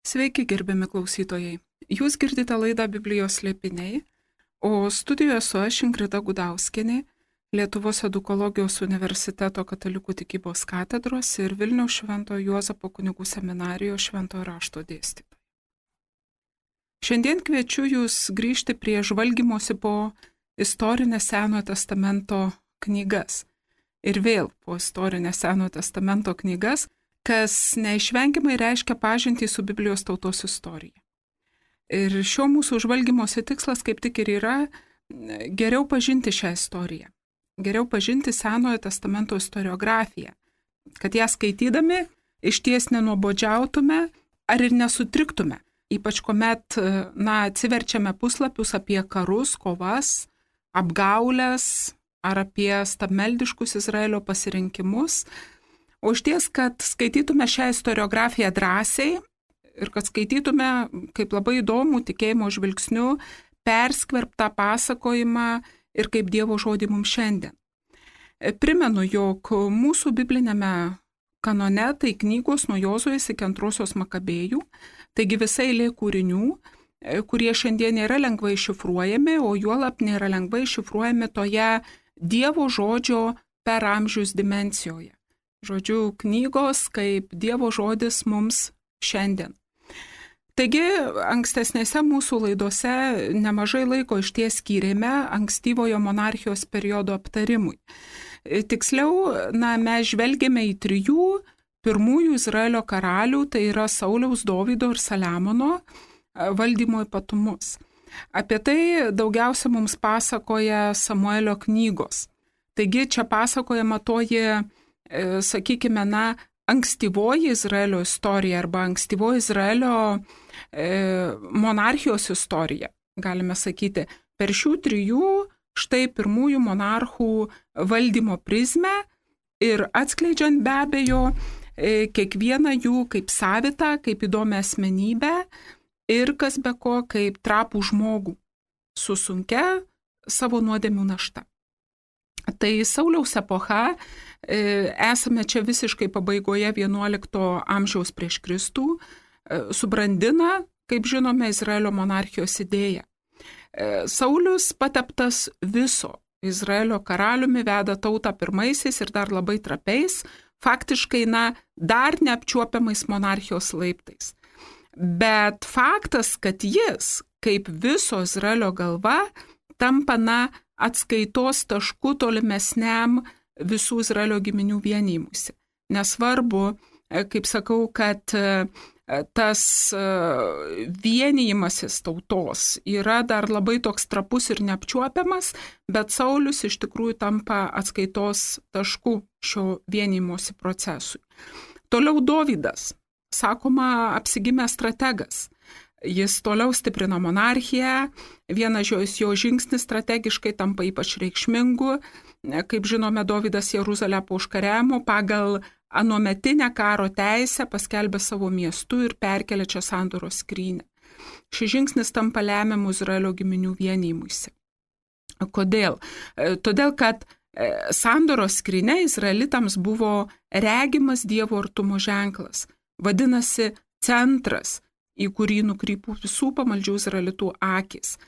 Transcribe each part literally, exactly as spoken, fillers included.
Sveiki, gerbiami klausytojai. Jūs girdite laidą Biblijos slėpiniai, o studijoje su aš Ingrida Gudauskienė, Lietuvos Edukologijos universiteto katalikų tikybos katedros ir Vilniaus Šventojo Juozapo kunigų seminarijos šventojo rašto dėstytoja. Šiandien kviečiu jūs grįžti prie žvalgymosi po istorinės Senojo testamento knygas. Ir vėl po istorinės Senojo testamento knygas, kas neišvengiamai reiškia pažintį su Biblijos tautos istorija. Ir šio mūsų žvalgymosi tikslas kaip tik ir yra geriau pažinti šią istoriją, geriau pažinti Senojo testamento istoriografiją, kad ją skaitydami išties nenuobodžiautume ar ir nesutriktume, ypač kuomet, na, atsiverčiame puslapius apie karus, kovas, apgaulės ar apie stabmeldiškus Izraelio pasirinkimus, o išties, kad skaitytume šią istoriografiją drąsiai ir kad skaitytume kaip labai įdomų tikėjimo žvilgsniu perskverbtą pasakojimą ir kaip Dievo žodį mums šiandien. Primenu, jog mūsų biblinėme kanone tai knygos nuo Jozuės iki antrosios Makabėjų, taigi visai eilė kūrinių, kurie šiandien nėra lengvai šifruojami, o juolab nėra lengvai šifruojami toje Dievo žodžio per amžius dimensijoje. Žodžiu, knygos kaip Dievo žodis mums šiandien. Taigi, ankstesnėse mūsų laidose nemažai laiko išties skyrėme ankstyvojo monarchijos periodo aptarimui. Tiksliau, na, mes žvelgėme į trijų pirmųjų Izraelio karalių, tai yra Sauliaus, Dovydo ir Saliamono valdymo ypatumus. Apie tai daugiausia mums pasakoja Samuelio knygos. Taigi, čia pasakojama toji, sakykime, na, ankstyvoji Izraelio istorija arba ankstyvoji Izraelio e, monarchijos istorija, galime sakyti, per šių trijų štai pirmųjų monarchų valdymo prizmę ir atskleidžiant be abejo e, kiekvieną jų kaip savitą, kaip įdomią asmenybę ir kas be ko kaip trapų žmogų su sunkia savo nuodėmių našta. Tai Sauliaus epocha, esame čia visiškai pabaigoje vienuolikto amžiaus prieš Kristų, subrandina, kaip žinome, Izraelio monarchijos idėją. Saulius pateptas viso Izraelio karaliumi veda tautą pirmaisiais ir dar labai trapiais, faktiškai, na, dar neapčiuopiamais monarchijos laiptais. Bet faktas, kad jis, kaip viso Izraelio galva, tampa, na, atskaitos tašku tolimesniam visų Izraelio giminių vienijimusi. Nesvarbu, kaip sakau, kad tas vienijimasis tautos yra dar labai toks trapus ir neapčiuopiamas, bet Saulius iš tikrųjų tampa atskaitos tašku šio vienijimosi procesui. Toliau Dovydas, sakoma, apsigimęs strategas. Jis toliau stiprina monarchiją, vienas jo žingsnis strategiškai tampa ypač reikšmingu. Kaip žinome, Dovydas Jeruzalę po užkariavimo pagal anuometinę karo teisę paskelbė savo miestu ir perkelė čia sandoros skrynią. Šis žingsnis tampa lemiamu Izraelio giminių vienijimuisi. Kodėl? Todėl, kad sandoros skrynia izraelitams buvo regimas Dievo artumo ženklas, vadinasi centras, į kurį nukrypų visų pamaldžių izraelitų akis.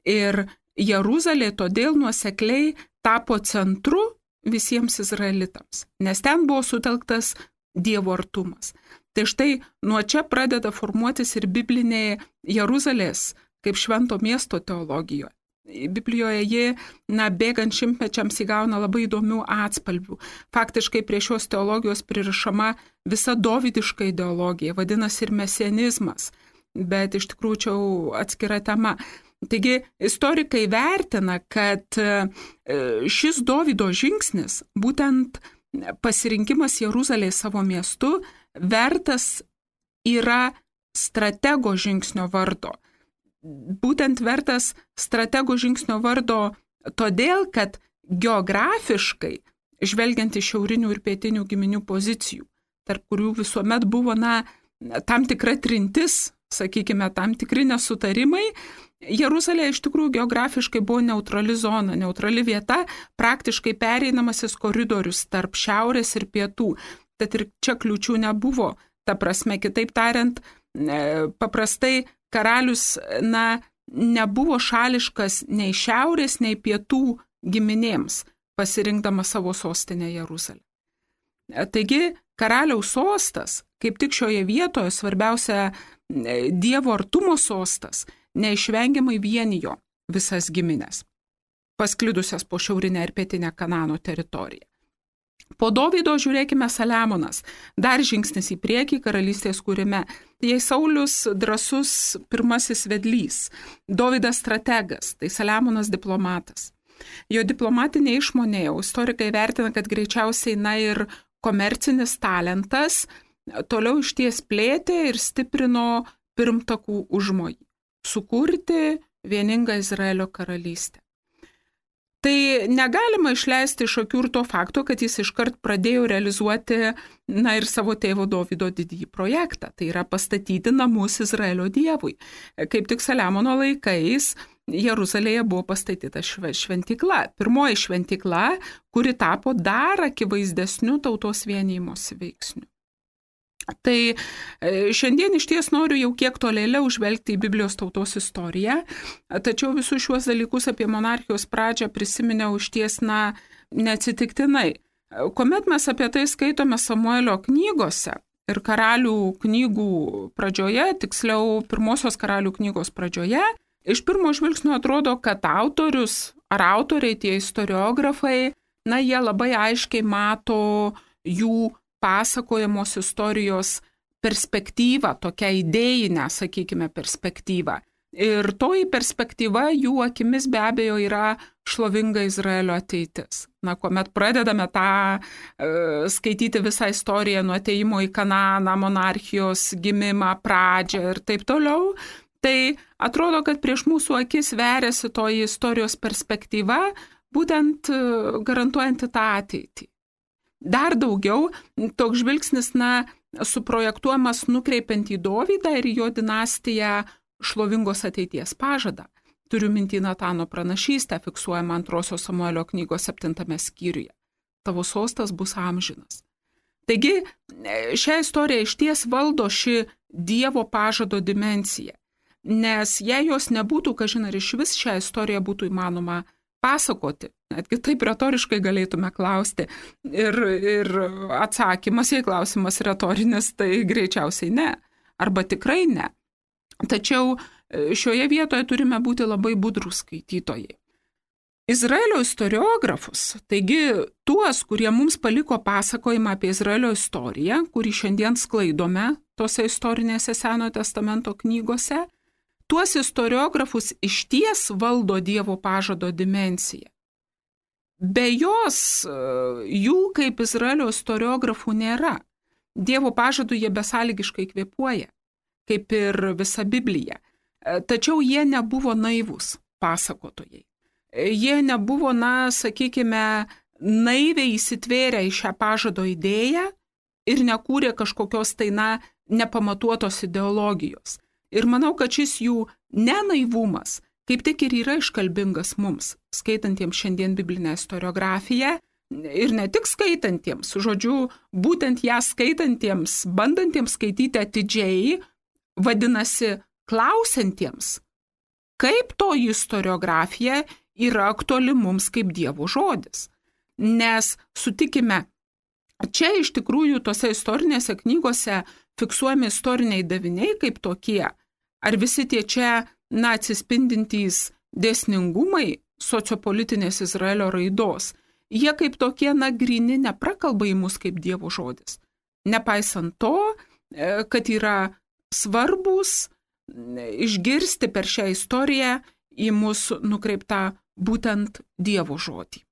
Ir Jeruzalė todėl nuosekliai tapo centru visiems izraelitams, nes ten buvo sutelktas Dievo artumas. Tai štai nuo čia pradeda formuotis ir biblinė Jeruzalės kaip švento miesto teologijoje. Biblijoje ji, na, bėgant šimtmečiams įgauna labai įdomių atspalvių. Faktiškai prie šios teologijos pririšama visa dovydiška ideologija, vadinasi ir mesianizmas, bet iš tikrųjų čia atskira tema. Taigi istorikai vertina, kad šis Dovydo žingsnis, būtent pasirinkimas Jeruzalės savo miestu, vertas yra stratego žingsnio vardo. Būtent vertas stratego žingsnio vardo todėl, kad geografiškai, žvelgiant iš šiaurinių ir pietinių giminių pozicijų, tarp kurių visuomet buvo, na, tam tikra trintis, sakykime, tam tikri nesutarimai, Jeruzalė iš tikrųjų geografiškai buvo neutrali zona, neutrali vieta, praktiškai pereinamasis koridorius tarp šiaurės ir pietų. Tad ir čia kliūčių nebuvo. Ta prasme, kitaip tariant, paprastai karalius, na, nebuvo šališkas nei šiaurės, nei pietų giminėms, pasirinkdamas savo sostinę Jeruzalę. Taigi, karaliaus sostas, kaip tik šioje vietoje svarbiausia Dievo artumo sostas, neišvengiamai vienijo visas giminės, pasklidusias po šiaurinę ir pietinę Kanano teritoriją. Po Dovydo žiūrėkime Saliamonas, dar žingsnis į priekį karalystės kūrime. Jei Saulius drąsus pirmasis vedlys, Dovydas strategas, tai Saliamonas diplomatas. Jo diplomatinė išmonė, istorikai vertina, kad greičiausiai na ir komercinis talentas toliau išties plėtė ir stiprino pirmtakų užmojį – sukurti vieningą Izraelio karalystę. Tai negalima išleisti iš akių ir to fakto, kad jis iškart pradėjo realizuoti na ir savo tėvo Dovydo didįjį projektą, tai yra pastatyti namus Izraelio dievui. Kaip tik Saliamono laikais Jeruzalėje buvo pastatyta šventykla, pirmoji šventykla, kuri tapo dar akivaizdesniu tautos vienijimosi veiksniu. Tai šiandien iš ties noriu jau kiek tolėliau žvelgti į Biblijos tautos istoriją, tačiau visus šiuos dalykus apie monarchijos pradžią prisiminiau iš ties na neatsitiktinai. Kuomet mes apie tai skaitome Samuelio knygose ir karalių knygų pradžioje, tiksliau pirmosios karalių knygos pradžioje, iš pirmo žvilgsnio atrodo, kad autorius ar autoriai, tie istoriografai, na jie labai aiškiai mato jų pasakojamos istorijos perspektyvą, tokią idėjinę, sakykime, perspektyvą. Ir toji perspektyva jų akimis be abejo yra šlovinga Izraelio ateitis. Na, kuomet pradedame tą e, skaityti visą istoriją nuo atėjimo į Kananą, monarchijos gimimą, pradžią ir taip toliau, tai atrodo, kad prieš mūsų akis veriasi toji istorijos perspektyva, būtent garantuojanti tą ateitį. Dar daugiau, toks žvilgsnis, na, suprojektuojamas nukreipiant į Dovydą ir jo dinastiją šlovingos ateities pažadą. Turiu mintį Natano pranašystę, fiksuojama antrosios Samuelio knygos septintame skyriuje. Tavo sostas bus amžinas. Taigi, šią istoriją išties valdo ši Dievo pažado dimensija, nes jei jos nebūtų, kažin ar iš vis šią istoriją būtų įmanoma pasakoti, netgi taip retoriškai galėtume klausti. Ir, ir atsakymas, jei klausimas retorinis, tai greičiausiai ne, arba tikrai ne. Tačiau šioje vietoje turime būti labai budrūs skaitytojai. Izraelio istoriografus, taigi tuos, kurie mums paliko pasakojimą apie Izraelio istoriją, kurį šiandien sklaidome tose istorinėse Senojo testamento knygose, tuos istoriografus išties valdo Dievo pažado dimensiją. Be jos jų kaip Izraelio istoriografų nėra. Dievo pažadų jie besąlygiškai kvėpuoja, kaip ir visa Biblija. Tačiau jie nebuvo naivūs pasakotojai. Jie nebuvo, na, sakykime, naiviai įsitvėrę į šią pažado idėją ir nekūrė kažkokios tai, na, nepamatuotos ideologijos. Ir manau, kad šis jų nenaivumas kaip tik ir yra iškalbingas mums, skaitantiems šiandien biblinę istoriografiją, ir ne tik skaitantiems, žodžiu, būtent ją skaitantiems, bandantiems skaityti atidžiai, vadinasi klausiantiems, kaip toji istoriografija yra aktuali mums kaip Dievo žodis. Nes sutikime, čia iš tikrųjų tose istorinėse knygose fiksuojami istoriniai daviniai kaip tokie, ar visi tie čia, na, atsispindintys dėsningumai sociopolitinės Izraelio raidos, jie kaip tokie, na, gryni neprakalba į mus kaip Dievo žodis. Nepaisant to, kad yra svarbus išgirsti per šią istoriją į mus nukreiptą būtent Dievo žodį.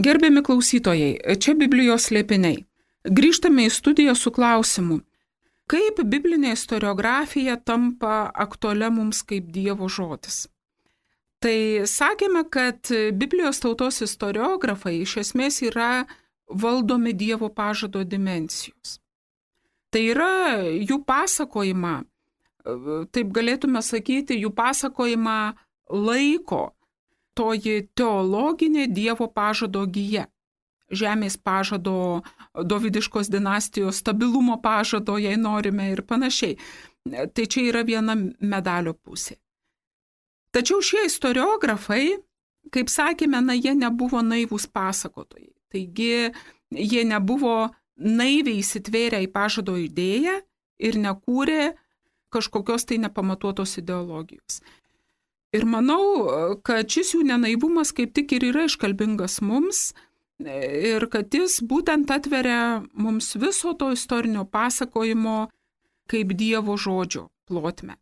Gerbiami klausytojai, čia Biblijos slėpiniai. Grįžtame į studiją su klausimu, kaip biblinė istoriografija tampa aktualia mums kaip Dievo žodis. Tai sakėme, kad Biblijos tautos istoriografai iš esmės yra valdomi Dievo pažado dimensijos. Tai yra jų pasakojimą, taip galėtume sakyti, jų pasakojimą laiko toji teologinė Dievo pažado gija. Žemės pažado, Dovydiškos dinastijos stabilumo pažado, jei norime ir panašiai. Tai čia yra viena medalio pusė. Tačiau šie istoriografai, kaip sakėme, na, jie nebuvo naivūs pasakotojai. Taigi jie nebuvo naiviai įsitvėrę į pažado idėją ir nekūrė kažkokios tai nepamatuotos ideologijos. Ir manau, kad šis jų nenaivumas kaip tik ir yra iškalbingas mums ir kad jis būtent atveria mums viso to istorinio pasakojimo kaip Dievo žodžio plotmę.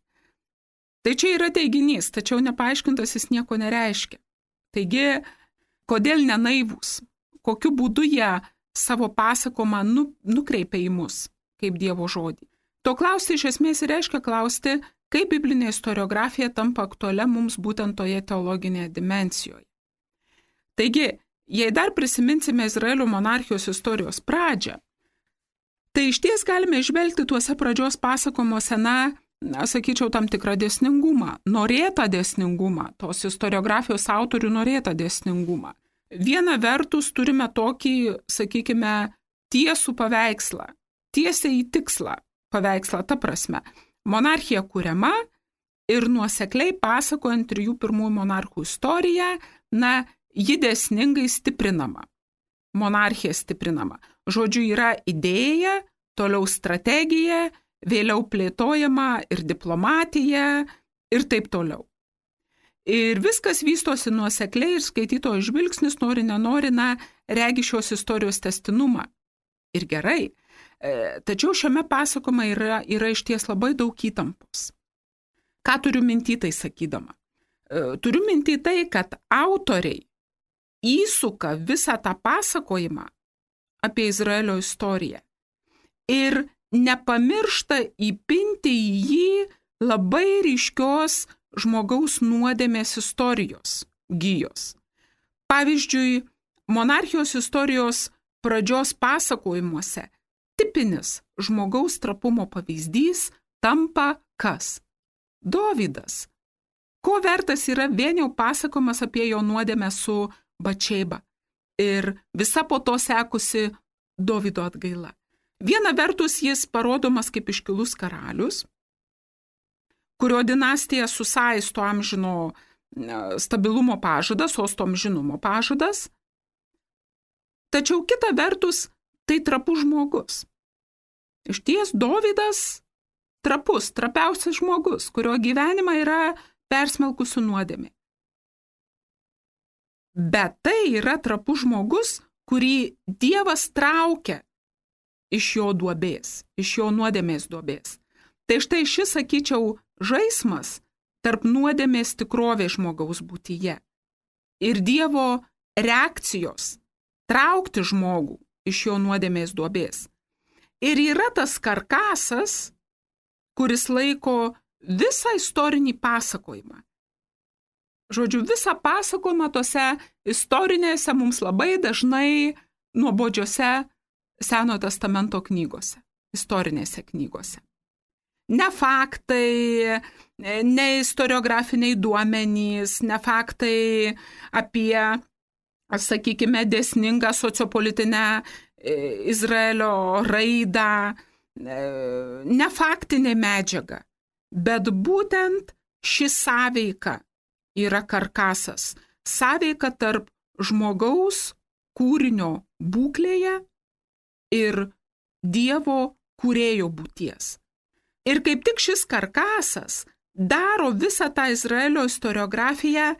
Tai čia yra teiginys, tačiau nepaaiškintas jis nieko nereiškia. Taigi, kodėl nenaivūs? Kokiu būdu jie savo pasakomą nu, nukreipia į mus kaip Dievo žodį? To klausti iš esmės reiškia klausti, kaip biblinė istoriografija tampa aktualia mums būtent toje teologinėje dimensijoje. Taigi, jei dar prisiminsime Izraelio monarchijos istorijos pradžią, tai išties galime išvelgti tuose pradžios pasakomuose, na, sakyčiau, tam tikrą dėsningumą, norėtą dėsningumą, tos istoriografijos autorių norėtą dėsningumą. Viena vertus turime tokį, sakykime, tiesų paveikslą, tiesiai į tikslą paveikslą, ta prasme. Monarchija kuriama ir nuosekliai pasakojant trijų pirmųjų monarchų istoriją, na, ji dėsningai stiprinama. Monarchija stiprinama. Žodžiu, yra idėja, toliau strategija, vėliau plėtojama ir diplomatija ir taip toliau. Ir viskas vystosi nuosekliai ir skaitytojo žvilgsnis nori nenori, na, regi šios istorijos tęstinumą. Ir gerai. Tačiau šiame pasakojime yra, yra išties labai daug įtampos. Ką turiu minty tai sakydama? Turiu minty tai, kad autoriai įsuka visą tą pasakojimą apie Izraelio istoriją ir nepamiršta įpinti į jį labai ryškios žmogaus nuodėmės istorijos gijos. Pavyzdžiui, monarchijos istorijos pradžios pasakojimuose tipinis žmogaus trapumo pavyzdys tampa kas? Dovydas. Ko vertas yra vien jau pasakojimas apie jo nuodėmę su Bačeiba ir visa po to sekusi Dovydo atgaila. Viena vertus jis parodomas kaip iškilus karalius, kurio dinastija susaisto amžino stabilumo pažadas, sosto amžinumo pažadas. Tačiau kita vertus tai trapus žmogus. Išties Dovydas trapus, trapiausias žmogus, kurio gyvenimą yra persmelkusi nuodėmė. Bet tai yra trapus žmogus, kurį Dievas traukia iš jo duobės, iš jo nuodėmės duobės. Tai štai šis, sakyčiau, žaismas tarp nuodėmės tikrovės žmogaus būtyje ir Dievo reakcijos traukti žmogų iš jo nuodėmės duobės. Ir yra tas karkasas, kuris laiko visą istorinį pasakojimą. Žodžiu, visą pasakojimą tose istorinėse mums labai dažnai nuobodžiose Senojo testamento knygose, istorinėse knygose. Ne faktai, ne istoriografiniai duomenys, ne faktai apie, sakykime, dėsningą sociopolitinę Izraelio raidą, ne faktinė medžiaga, bet būtent ši sąveika yra karkasas, sąveika tarp žmogaus kūrinio būklėje ir Dievo kūrėjo būties. Ir kaip tik šis karkasas daro visą tą Izraelio istoriografiją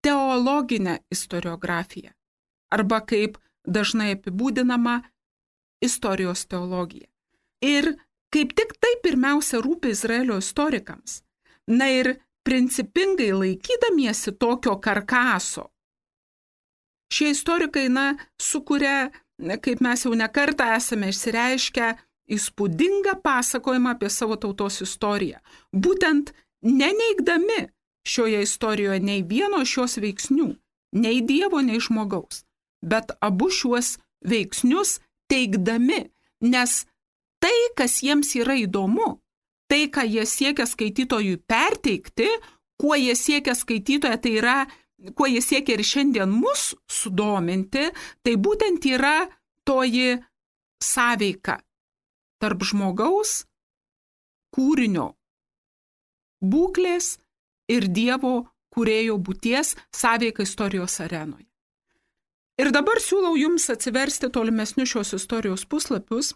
teologinę istoriografiją, arba kaip dažnai apibūdinama istorijos teologija. Ir kaip tik tai pirmiausia rūpi Izraelio istorikams. Na ir principingai laikydamiesi tokio karkaso, Šie istorikai, na, sukuria, kaip mes jau nekartą esame išsireiškę, įspūdingą pasakojimą apie savo tautos istoriją. Būtent neneigdami šioje istorijoje nei vieno šios veiksnių, nei Dievo, nei žmogaus, bet abu šiuos veiksnius teigdami, nes tai, kas jiems yra įdomu, tai, ką jie siekia skaitytojui perteikti, kuo jie siekia skaitytoje, tai yra, kuo jie siekia ir šiandien mus sudominti, tai būtent yra toji sąveika tarp žmogaus, kūrinio būklės ir Dievo kūrėjo būties sąveika istorijos arenoje. Ir dabar siūlau jums atsiversti tolimesnius šios istorijos puslapius,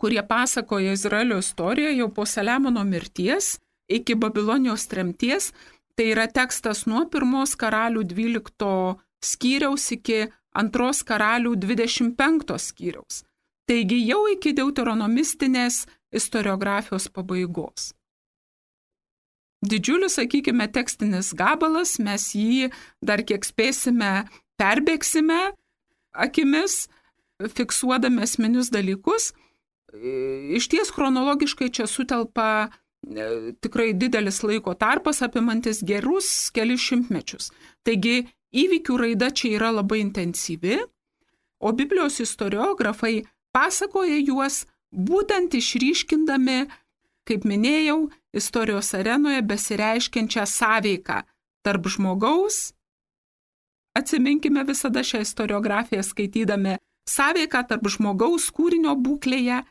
kurie pasakoja Izraelio istoriją jau po Saliamono mirties iki Babilonijos tremties. Tai yra tekstas nuo pirmos karalių dvylikto skyriaus iki antros karalių dvidešimt penkto skyriaus. Taigi jau iki deuteronomistinės istoriografijos pabaigos. Didžiulis, sakykime, tekstinis gabalas, mes jį dar kiek spėsime, perbėgsime akimis, fiksuodami esminius dalykus. Iš ties chronologiškai čia sutelpa tikrai didelis laiko tarpas, apimantis gerus kelis šimtmečius. Taigi įvykių raida čia yra labai intensyvi, o Biblijos istoriografai pasakoja juos būtent išryškindami, kaip minėjau, istorijos arenoje besireiškiančią sąveiką tarp žmogaus, atsiminkime visada šią istoriografiją skaitydami, sąveiką tarp žmogaus kūrinio būklėje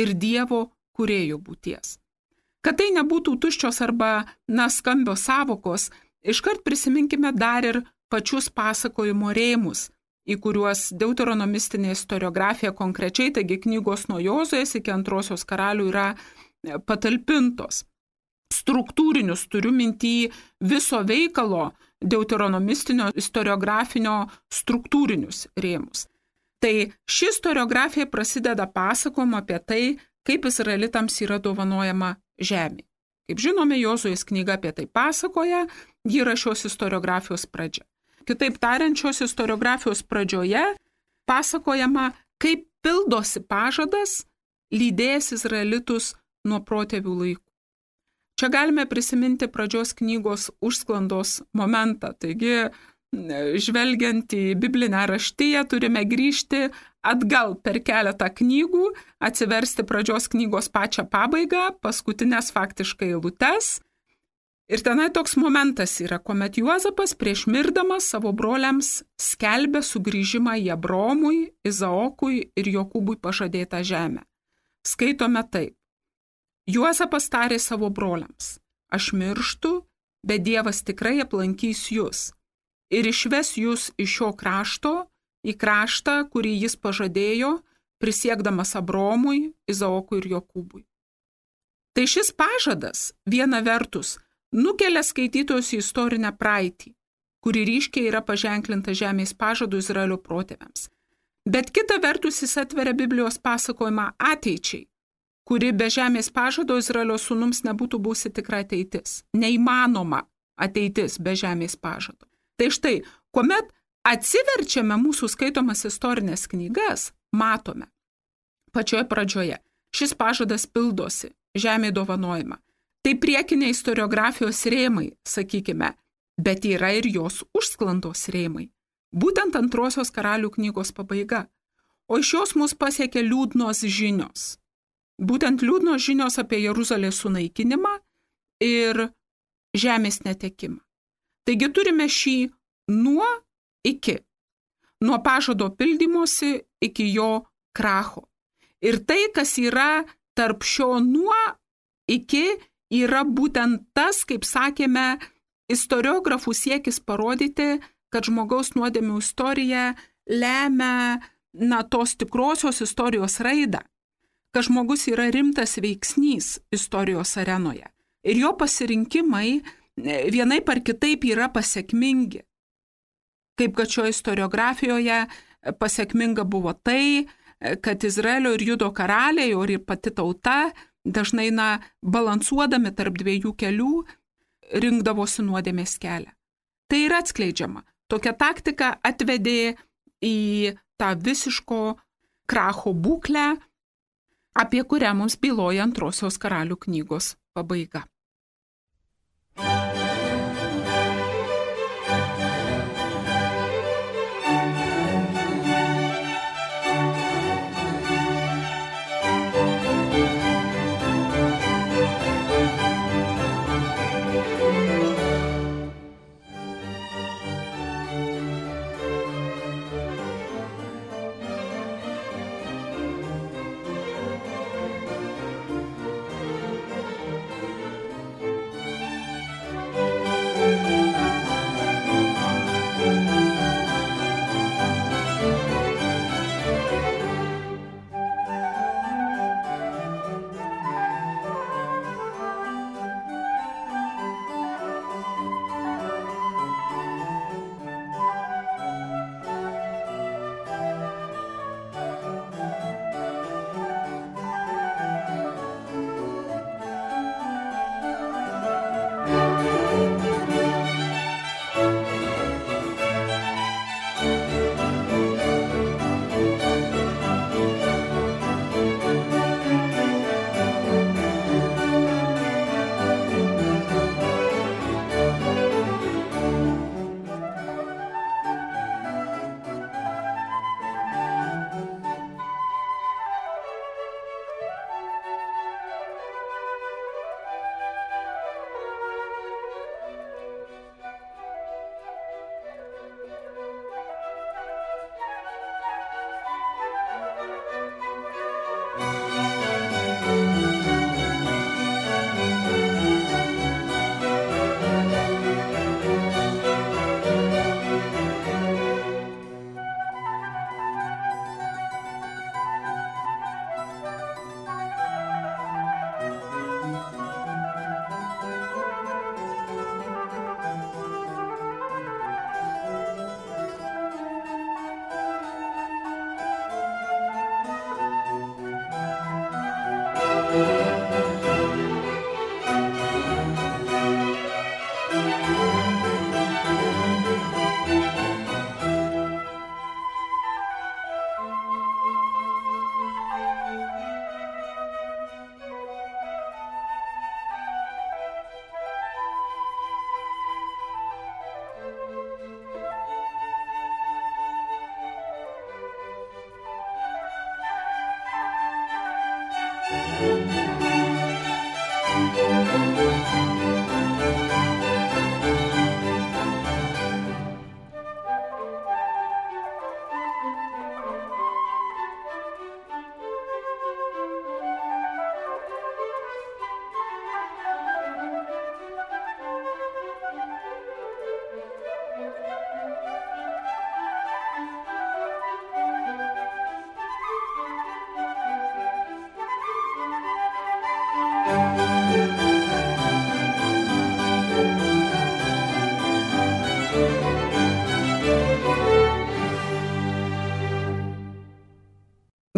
ir Dievo kūrėjo būties. Kad tai nebūtų tuščios arba na, skambios sąvokos, iškart prisiminkime dar ir pačius pasakojimo rėmus, į kuriuos deuteronomistinė istoriografija konkrečiai, taigi knygos nuo Jozuės iki antrosios karalių yra patalpintos. Struktūrinius, turiu mintį viso veikalo deuteronomistinio istoriografinio struktūrinius rėmus. Tai ši istoriografija prasideda pasakojimu apie tai, kaip izraelitams yra dovanojama žemė. Kaip žinome, Jozuės knyga apie tai pasakoja, ji yra šios istoriografijos pradžia. Kitaip tariant, šios istoriografijos pradžioje pasakojama, kaip pildosi pažadas lydėjęs izraelitus nuo protėvių laikų. Čia galime prisiminti pradžios knygos užsklandos momentą. Taigi, žvelgiant į biblinę raštiją, turime grįžti atgal per keletą knygų, atsiversti pradžios knygos pačią pabaigą, paskutinės faktiškai eilutes. Ir tenai toks momentas yra, kuomet Juozapas prieš mirdamas savo broliams skelbia sugrįžimą į Abromui, Izaokui ir Jokūbui pažadėtą žemę. Skaitome taip. Juozapas tarė savo broliams, aš mirštu, bet Dievas tikrai aplankys jūs ir išves jūs iš šio krašto į kraštą, kurį jis pažadėjo, prisiekdamas Abromui, Izaokui ir Jokūbui. Tai šis pažadas, viena vertus, nukelia skaitytojus į istorinę praeitį, kuri ryškiai yra paženklinta žemės pažadų Izraelio protėviams. Bet kita vertus jis atveria Biblijos pasakojimą ateičiai, kuri be žemės pažado Izraelio sūnums nebūtų būsi tikra ateitis. Neįmanoma ateitis be žemės pažado. Tai štai, kuomet atsiverčiame mūsų skaitomas istorinės knygas, matome pačioje pradžioje, šis pažadas pildosi, žemė dovanojama. Tai priekiniai istoriografijos rėmai, sakykime, bet yra ir jos užsklandos rėmai. Būtent antrosios karalių knygos pabaiga. O iš jos mus pasiekia liūdnos žinios. Būtent liūdnos žinios apie Jeruzalės sunaikinimą ir žemės netekimą. Taigi turime šį nuo iki. Nuo pažado pildymosi iki jo kracho. Ir tai, kas yra tarp šio nuo iki, yra būtent tas, kaip sakėme, istoriografų siekis parodyti, kad žmogaus nuodėmių istorija lemia na, tos tikrosios istorijos raidą, kad žmogus yra rimtas veiksnys istorijos arenoje. Ir jo pasirinkimai vienaip ar kitaip yra pasekmingi. Kaip kad šio istoriografijoje pasekminga buvo tai, kad Izraelio ir Judo karaliai, o ir pati tauta, dažnai na, balansuodami tarp dviejų kelių, rinkdavosi nuodėmės kelią. Tai yra atskleidžiama. Tokia taktika atvedė į tą visiško kracho būklę, apie kurią mums byloja antrosios karalių knygos pabaiga.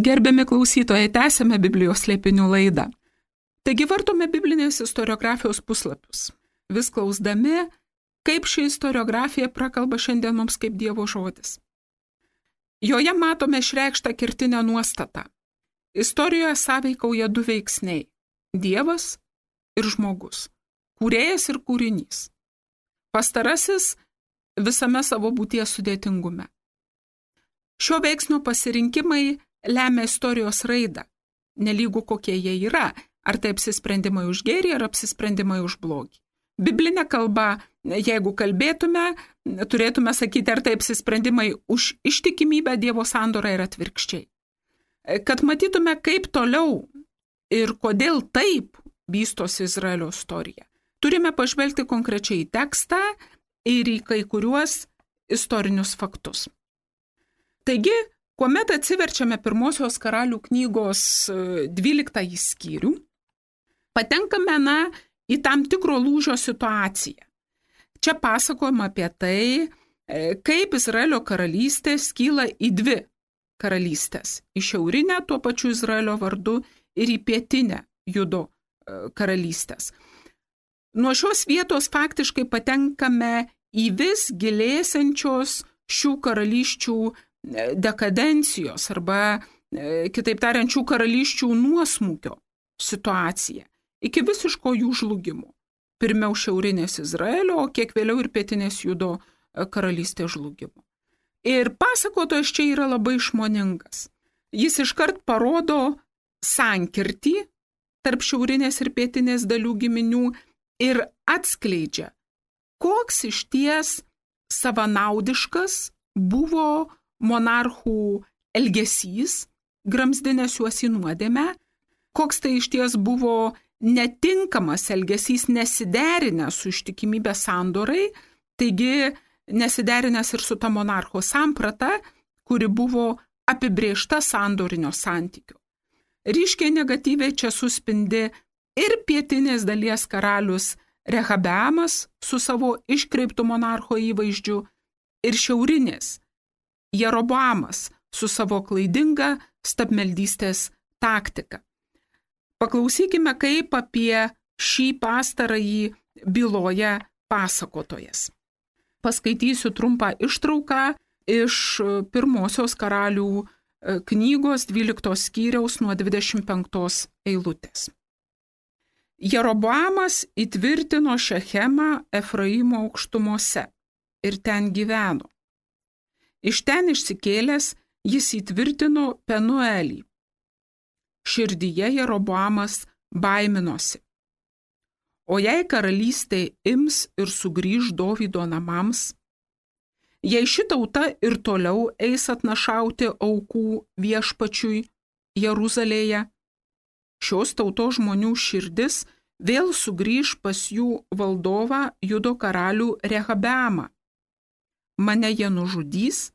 Gerbiami klausytojai, tęsiame Biblijos slėpinių laidą. Taigi vartome biblinės istoriografijos puslapius, vis klausdami, kaip ši istoriografija prakalba šiandien mums kaip Dievo žodis. Joje matome išreikštą kertinę nuostatą. Istorijoje sąveikauja du veiksniai – Dievas ir žmogus, kūrėjas ir kūrinys. Pastarasis visame savo būties sudėtingume. Šio veiksnio pasirinkimai lemia istorijos raidą, nelygų kokie jie yra, ar tai apsisprendimai už gėrį, ar apsisprendimai už blogį. Biblinė kalba, jeigu kalbėtume, turėtume sakyti, ar tai apsisprendimai už ištikimybę Dievo sandorą ir atvirkščiai. Kad matytume, kaip toliau ir kodėl taip vystosi Izraelio istorija, turime pažvelgti konkrečiai į tekstą ir į kai kuriuos istorinius faktus. Taigi, kuomet atsiverčiame pirmosios karalių knygos dvyliktąjį skyrių, patenkame na, į tam tikro lūžio situaciją. Čia pasakojama apie tai, kaip Izraelio karalystė skyla į dvi karalystės. Į šiaurinę tuo pačiu Izraelio vardu ir į pietinę Judo karalystės. Nuo šios vietos faktiškai patenkame į vis gilėsiančios šių karalysčių dekadencijos arba, kitaip tariant, šių karalysčių nuosmukio situaciją, iki visiško jų žlugimo. Pirmiau šiaurinės Izraelio, o kiek vėliau ir pietinės Judo karalystės žlugimo. Ir pasakotojas čia yra labai išmoningas. Jis iškart parodo sankirtį tarp šiaurinės ir pietinės dalių giminių ir atskleidžia, koks išties savanaudiškas buvo monarchų elgesys, gramzdinęs juos į nuodėmę, koks tai išties buvo netinkamas elgesys, nesiderinęs su ištikimybės sandorai, taigi nesiderinęs ir su ta monarcho samprata, kuri buvo apibrėžta sandorinio santykiu. Ryškiai negatyviai čia suspindi ir pietinės dalies karalius Rehabeamas su savo iškreiptu monarcho įvaizdžiu ir šiaurinės Jeroboamas su savo klaidinga stabmeldystės taktika. Paklausykime, kaip apie šį pastarąjį byloja pasakotojas. Paskaitysiu trumpą ištrauką iš pirmosios karalių knygos dvyliktos skyriaus nuo dvidešimt penktos eilutės. Jeroboamas įtvirtino Šechemą Efraimo aukštumose ir ten gyveno. Iš ten išsikėlęs jis įtvirtino Penuelį. Širdyje Jeroboamas baiminosi. O jei karalystė ims ir sugrįž Dovydo namams, jei ši tauta ir toliau eis atnašauti aukų viešpačiui Jeruzalėje, šios tautos žmonių širdis vėl sugrįž pas jų valdovą Judo karalių Rehabeamą. Mane jie nužudys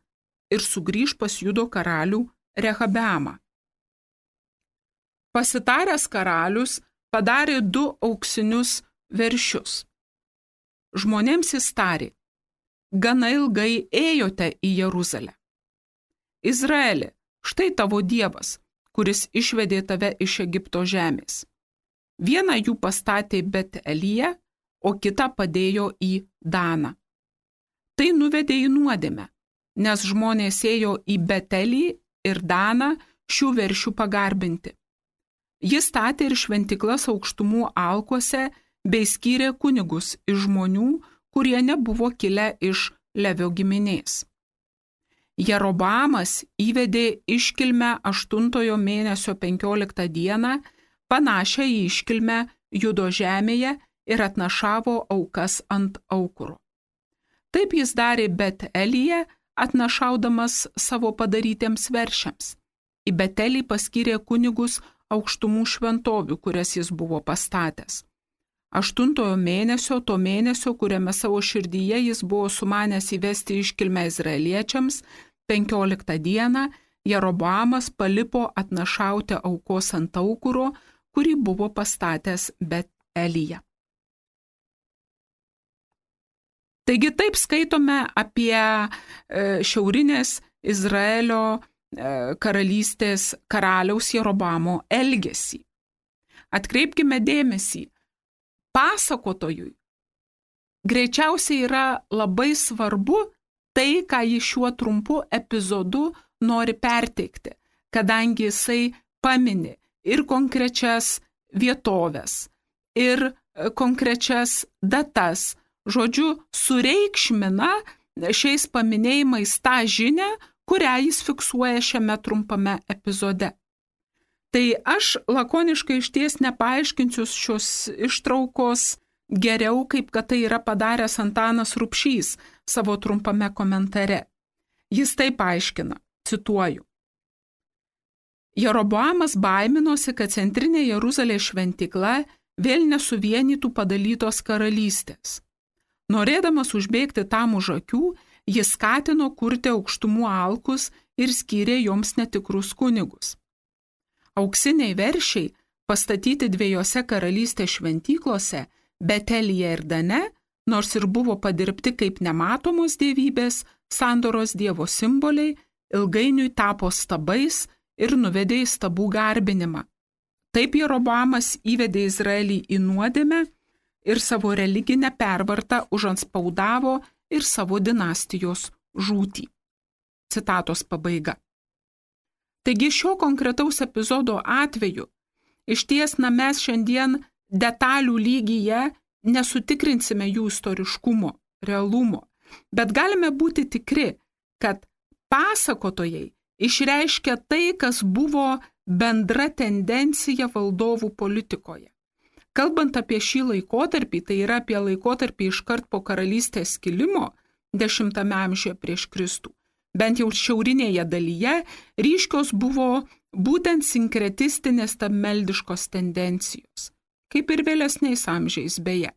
ir sugrįž pas Judo karalių Rehabeamą. Pasitaręs karalius padarė du auksinius veršius. Žmonėms jis tarė: gana ilgai ėjote į Jeruzalę. Izraeli, štai tavo Dievas, kuris išvedė tave iš Egipto žemės. Vieną jų pastatė Bet-Elyje, o kitą padėjo į Daną. Tai nuvedė į nuodėmę, nes žmonės ėjo į Bet-Elį ir Daną šių veršių pagarbinti. Jis statė ir šventiklas aukštumų alkuose bei skyrė kunigus iš žmonių, kurie nebuvo kilę iš Levio giminės. Jeroboamas įvedė iškilmę aštuntojo mėnesio penkioliktą dieną, panašią į iškilmę Judo žemėje, ir atnašavo aukas ant aukuro. Taip jis darė Bet-Elyje, atnašaudamas savo padarytiems veršiams. Į Bet-Elį paskyrė kunigus aukštumų šventovių, kurias jis buvo pastatęs. Aštuntojo mėnesio, to mėnesio, kuriame savo širdyje jis buvo sumanęs įvesti iškilmę izraeliečiams, penkioliktą dieną Jeroboamas palipo atnašauti aukos ant aukuro, kurį buvo pastatęs Bet-Elyje. Taigi taip skaitome apie šiaurinės Izraelio karalystės karaliaus Jeroboamo elgesį. Atkreipkime dėmesį, pasakotojui greičiausiai yra labai svarbu tai, ką jis šiuo trumpu epizodu nori perteikti, kadangi jisai pamini ir konkrečias vietovės, ir konkrečias datas, žodžiu, sureikšmina šiais paminėjimais tą žinią, kurią jis fiksuoja šiame trumpame epizode. Tai aš lakoniškai išties nepaaiškinsiu šios ištraukos geriau, kaip kad tai yra padaręs Antanas Rubšys savo trumpame komentare. Jis taip aiškina, cituoju: Jeroboamas baiminosi, kad centrinė Jeruzalės šventykla vėl nesuvienytų padalytos karalystės. Norėdamas užbėgti tam už akių, jis skatino kurti aukštumų alkus ir skyrė joms netikrus kunigus. Auksiniai veršiai, pastatyti dviejose karalystės šventyklose, Bet-Elyje ir Dane, nors ir buvo padirbti kaip nematomos dievybės, sandoros dievo simboliai, ilgainiui tapo stabais ir nuvedė į stabų garbinimą. Taip Jeroboamas įvedė Izraelį į nuodėmę ir savo religinę pervartą užanspaudavo ir savo dinastijos žūtį. Citatos pabaiga. Taigi šio konkretaus epizodo atveju iš ties na, mes šiandien detalių lygyje nesutikrinsime jų istoriškumo, realumo, bet galime būti tikri, kad pasakotojai išreiškia tai, kas buvo bendra tendencija valdovų politikoje. Kalbant apie šį laikotarpį, tai yra apie laikotarpį iškart po karalystės skilimo dešimtame amžiuje prieš Kristų, bent jau šiaurinėje dalyje, ryškios buvo būtent sinkretistinės tameldiškos tendencijos, kaip ir vėlesniais amžiais beje.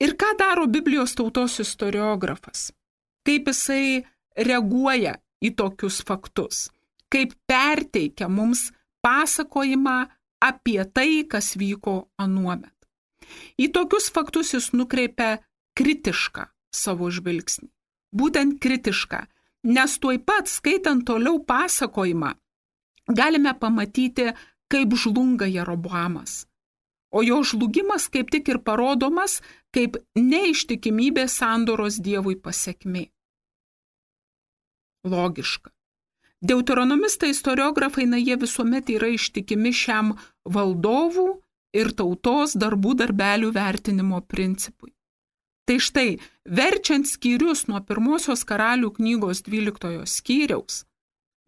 Ir ką daro Biblijos tautos istoriografas? Kaip jisai reaguoja į tokius faktus? Kaip perteikia mums pasakojimą apie tai, kas vyko anuomet? Į tokius faktus jis nukreipia kritišką savo žvilgsnį. Būtent kritišką, nes tuoj pat skaitant toliau pasakojimą, galime pamatyti, kaip žlunga Jeroboamas. O jo žlugimas kaip tik ir parodomas kaip neištikimybės sandoros Dievui pasekmė. Logiška. Deuteronomistai istoriografai, na jie visuomet yra ištikimi šiam valdovų ir tautos darbų darbelių vertinimo principui. Tai štai, verčiant skyrius nuo pirmosios karalių knygos dvyliktojo skyriaus,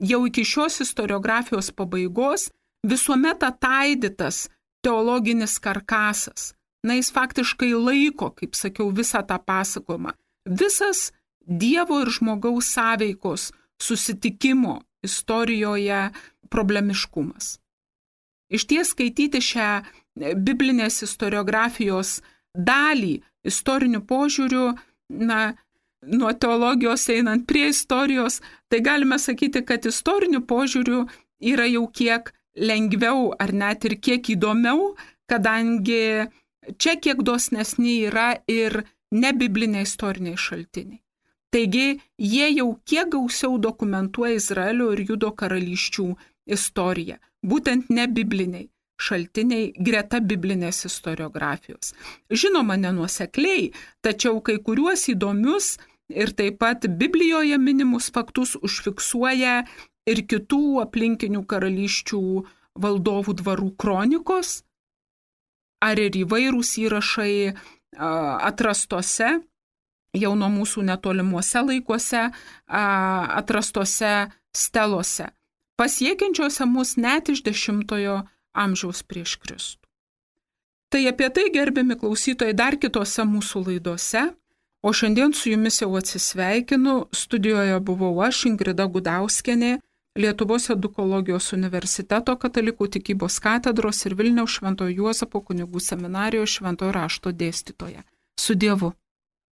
jau iki šios istoriografijos pabaigos visuomet ataidytas teologinis karkasas. Na, jis faktiškai laiko, kaip sakiau, visą tą pasakojimą. Visas Dievo ir žmogaus sąveikos susitikimo istorijoje problemiškumas. Iš ties skaityti šią biblinės istoriografijos dalį istoriniu požiūriu, na, nuo teologijos einant prie istorijos, tai galime sakyti, kad istoriniu požiūriu yra jau kiek lengviau ar net ir kiek įdomiau, kadangi čia kiek dosnesni yra ir nebibliniai istoriniai šaltiniai. Taigi, jie jau kiek gausiau dokumentuoja Izraelio ir Judo karalysčių istoriją, būtent nebibliniai šaltiniai greta biblinės istoriografijos. Žinoma, nenuosekliai, tačiau kai kuriuos įdomius ir taip pat Biblijoje minimus faktus užfiksuoja ir kitų aplinkinių karalysčių valdovų dvarų kronikos, ar ir įvairūs įrašai atrastose, jau nuo mūsų netolimuose laikuose, atrastose stelose, pasiekiančiose mus net iš dešimtojo amžiaus prieš Kristų. Tai apie tai, gerbiami klausytojai, dar kitose mūsų laidose, o šiandien su jumis jau atsisveikinu. Studijoje buvau aš, Ingrida Gudauskienė, Lietuvos edukologijos universiteto katalikų tikybos katedros ir Vilniaus Šventojo Juozapo kunigų seminarijos šventojo rašto dėstytoja. Su Dievu.